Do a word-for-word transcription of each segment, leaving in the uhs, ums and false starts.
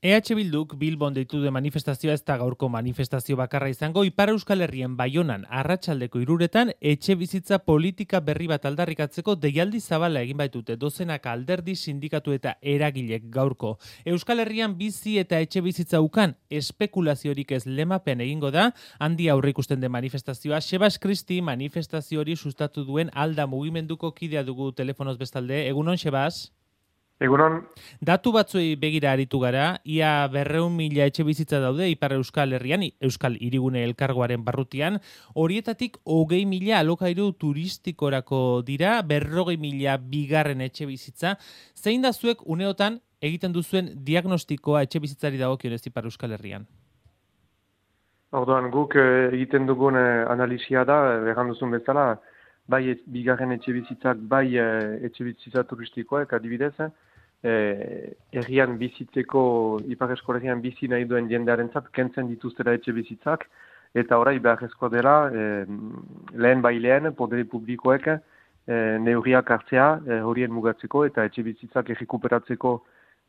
E H Bilduk Bilbon deitu du manifestazioa ez da gaurko manifestazio bakarra izango. Ipar Euskal Herrian Baionan arratsaldeko hiruretan etxe bizitza politika berri bat aldarrikatzeko deialdi zabala egin baitute dozenaka alderdi, sindikatu eta eragilek gaurko. Euskal Herrian bizi eta etxe bizitza ukan espekulaziorik ez lemapen egingo da, handi aurreikusten den manifestazioa. Sebas Kristi manifestazio hori sustatu duen Alda mugimenduko kidea dugu telefonoz bestalde. Egunon, Sebas? Egunon. Datu batzuei begira aritu gara, ia berreun mila etxe bizitza daude Ipar Euskal Herrian, Euskal Hirigune Elkargoaren barrutian, horietatik hogei mila alokairu turistikorako dira, berrogei mila bigarren etxe bizitza. Zein da zuek uneotan egiten duzuen diagnostikoa etxe bizitzari dagokionez Ipar Euskal Herrian? Orduan, guk egiten dugun analisia da, erran duzun bezala, bai bigarren etxe bizitzak, bai etxe bizitza turistikoak adibidez, Eh, errian bizitzeko, Ipar Euskal Herrian bizi nahi duen jendearentzat kentzen dituztera etxe bizitzak, eta orai beharrezkoa dela eh, lehen bai lehen, podere publikoek eh, neurriak hartzea eh, horien mugatzeko eta etxe bizitzak errekuperatzeko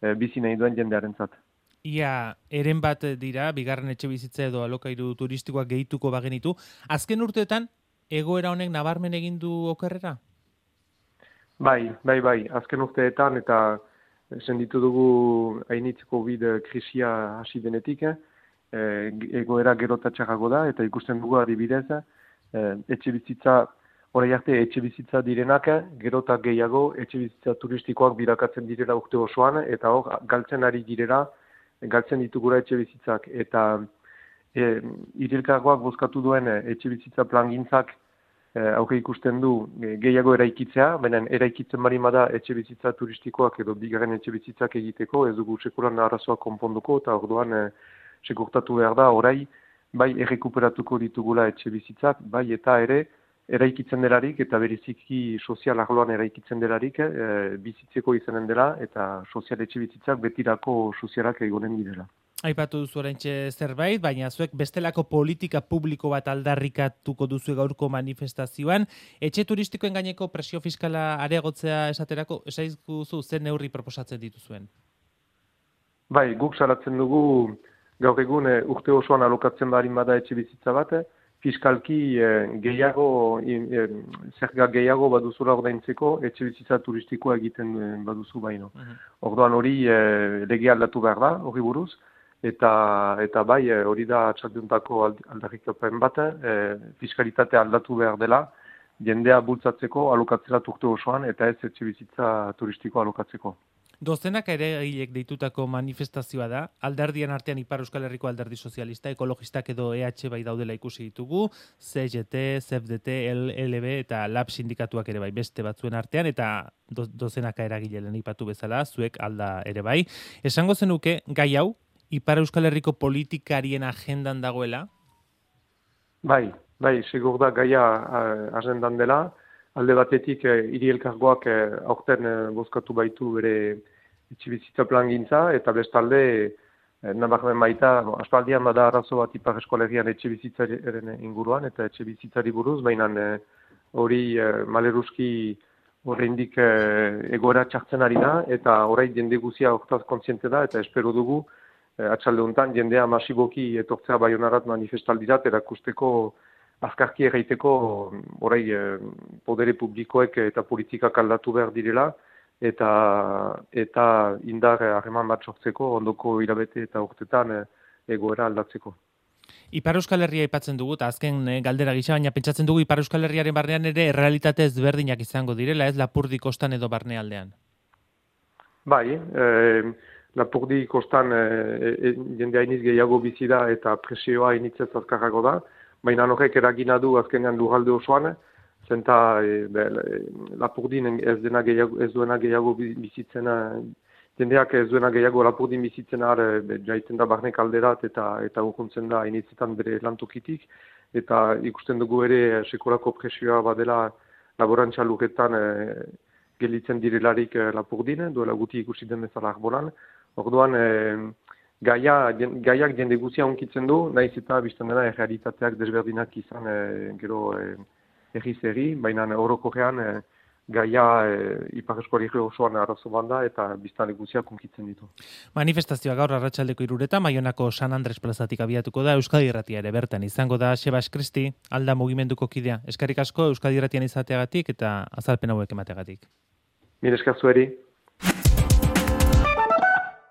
eh, bizi nahi duen jendearentzat. Ia, eren bat dira, bigarren etxe bizitza edo alokairu turistikoak gehituko bagenitu. Azken urteetan, egoera honek nabarmen egin du okerrera? Bai, bai, bai, azken urteetan eta senditu dugu hainitz COVID krisia hasi denetik, eh, egoera gero eta txarrago da, eta ikusten dugu adibidez, eh, etxe bizitza, orai arte etxe bizitza direnak, gero eta gehiago etxe bizitza turistikoak birakatzen direla urte osoan, eta hor, galtzen ari direla, galtzen ditugura etxe bizitzak, eta eh, irilkargoak bozkatu duen etxe bizitza plangintzak, Hauke ikusten du gehiago eraikitzea, baina eraikitzen bari bada etxe bizitza turistikoak edo bigarren etxe bizitzak egiteko, ez dugu sekulan arazoak konponduko, eta orduan e, sekurtatu behar da, orai, bai errekuperatuko ditugula etxe bizitzak, bai eta ere eraikitzen delarik, eta beriziki sozial arloan eraikitzen delarik, e, bizitzeko izanen dela, eta sozial etxe bizitzak betirako sozialak egonen direla. Aipatu duzu oraintxe zerbait, baina zuek bestelako politika publiko bat aldarrikatuko duzu gaurko manifestazioan. Etxe turistikoen gaineko presio fiskala areagotzea esaterako, esaizkuzu zen neurri proposatzen dituzuen? Bai, guk salatzen dugu gaur egun e, urte osoan alokatzen barin bada etxe bizitza bat, fiskalki e, gehiago, e, zerga gehiago baduzula ordaintzeko etxe bizitza turistikoa egiten e, baduzu baino. Uh-huh. Orduan hori e, lege aldatu behar da, hori buruz, Eta, eta bai, hori da txalduntako aldarrikapen bat, e, fiskalitatea aldatu behar dela, jendea bultzatzeko alokatzera turte osoan, eta ez etxe bizitza turistiko alokatzeko. Dozenak ere egilek deitutako manifestazioa da, alderdien artean Ipar Euskal Herriko alderdi sozialista, ekologistak edo E H bai daudela ikusi ditugu, C G T, C F D T, L L B eta Lab sindikatuak ere bai beste batzuen artean, eta do, dozenaka eragilelen ipatu bezala, zuek alda ere bai. Esango zenuke, gai hau, Ipar Euskal Herriko politikarien agendan dagoela? Bai, bai, segur da gaia agendan dela. Alde batetik, hiri elkargoak aurten bozkatu baitu bere etxebizitza plangintza, eta bestalde, nabarmen baita, aspaldian bada arazo bat Ipar Euskal Herrian etxebizitzaren inguruan, eta etxebizitzari buruz, baina hori maleruski oraindik egoera txartzen ari da, eta orain jende guzia hortaz kontziente da, eta espero dugu, atxalde honetan, jendea masiboki etortzea Baionarat manifestaldirat, erakusteko azkarki erraiteko orai podere publikoek eta politikak aldatu behar direla, eta, eta indar harreman bat sortzeko, ondoko hilabete eta urtetan egoera aldatzeko. Ipar Euskal Herria aipatzen dugu, eta azken galdera gisa, baina pentsatzen dugu Ipar Euskal Herriaren barnean ere errealitate ezberdinak izango direla, ez Lapurdi kostan edo barnealdean? Bai, e, Lapurdi kostan e, e, jende hainiz gehiago bizi da eta presioa hainitzez azkarrago da, baina horrek eragina du azkenean lurralde osoan, zenta e, Lapurdin ez, dena gehiago, ez duena gehiago bizitzena, jendeak ez duena gehiago Lapurdin bizitzena e, jaiten da barnek alderat eta eta urkuntzen da hainitzetan bere lantokitik, eta ikusten dugu ere sekolako presioa badela laborantza lurretan e, gelitzen direlarik e, Lapurdin, duela guti ikusi den bezala arbolan. Orduan, e, gaia, gaiak jende guzia onkitzen du, nahiz eta biztan dena errealitateak desberdinak izan e, gero e, erriz erri, baina orokorrean e, gaia e, Ipar Euskal Herri osoan arazo banda eta biztanle guztiak hunkitzen ditu. Manifestazioa gaur arratsaldeko hiruretan Baionako San Andres plazatik abiatuko da. Euskadi Irratia ere bertan izango da. Sebas Kristi, Alda mugimenduko kidea. Eskerrik asko Euskadi Irratian izateagatik eta azalpen hauek emateagatik. Mire esker zueri.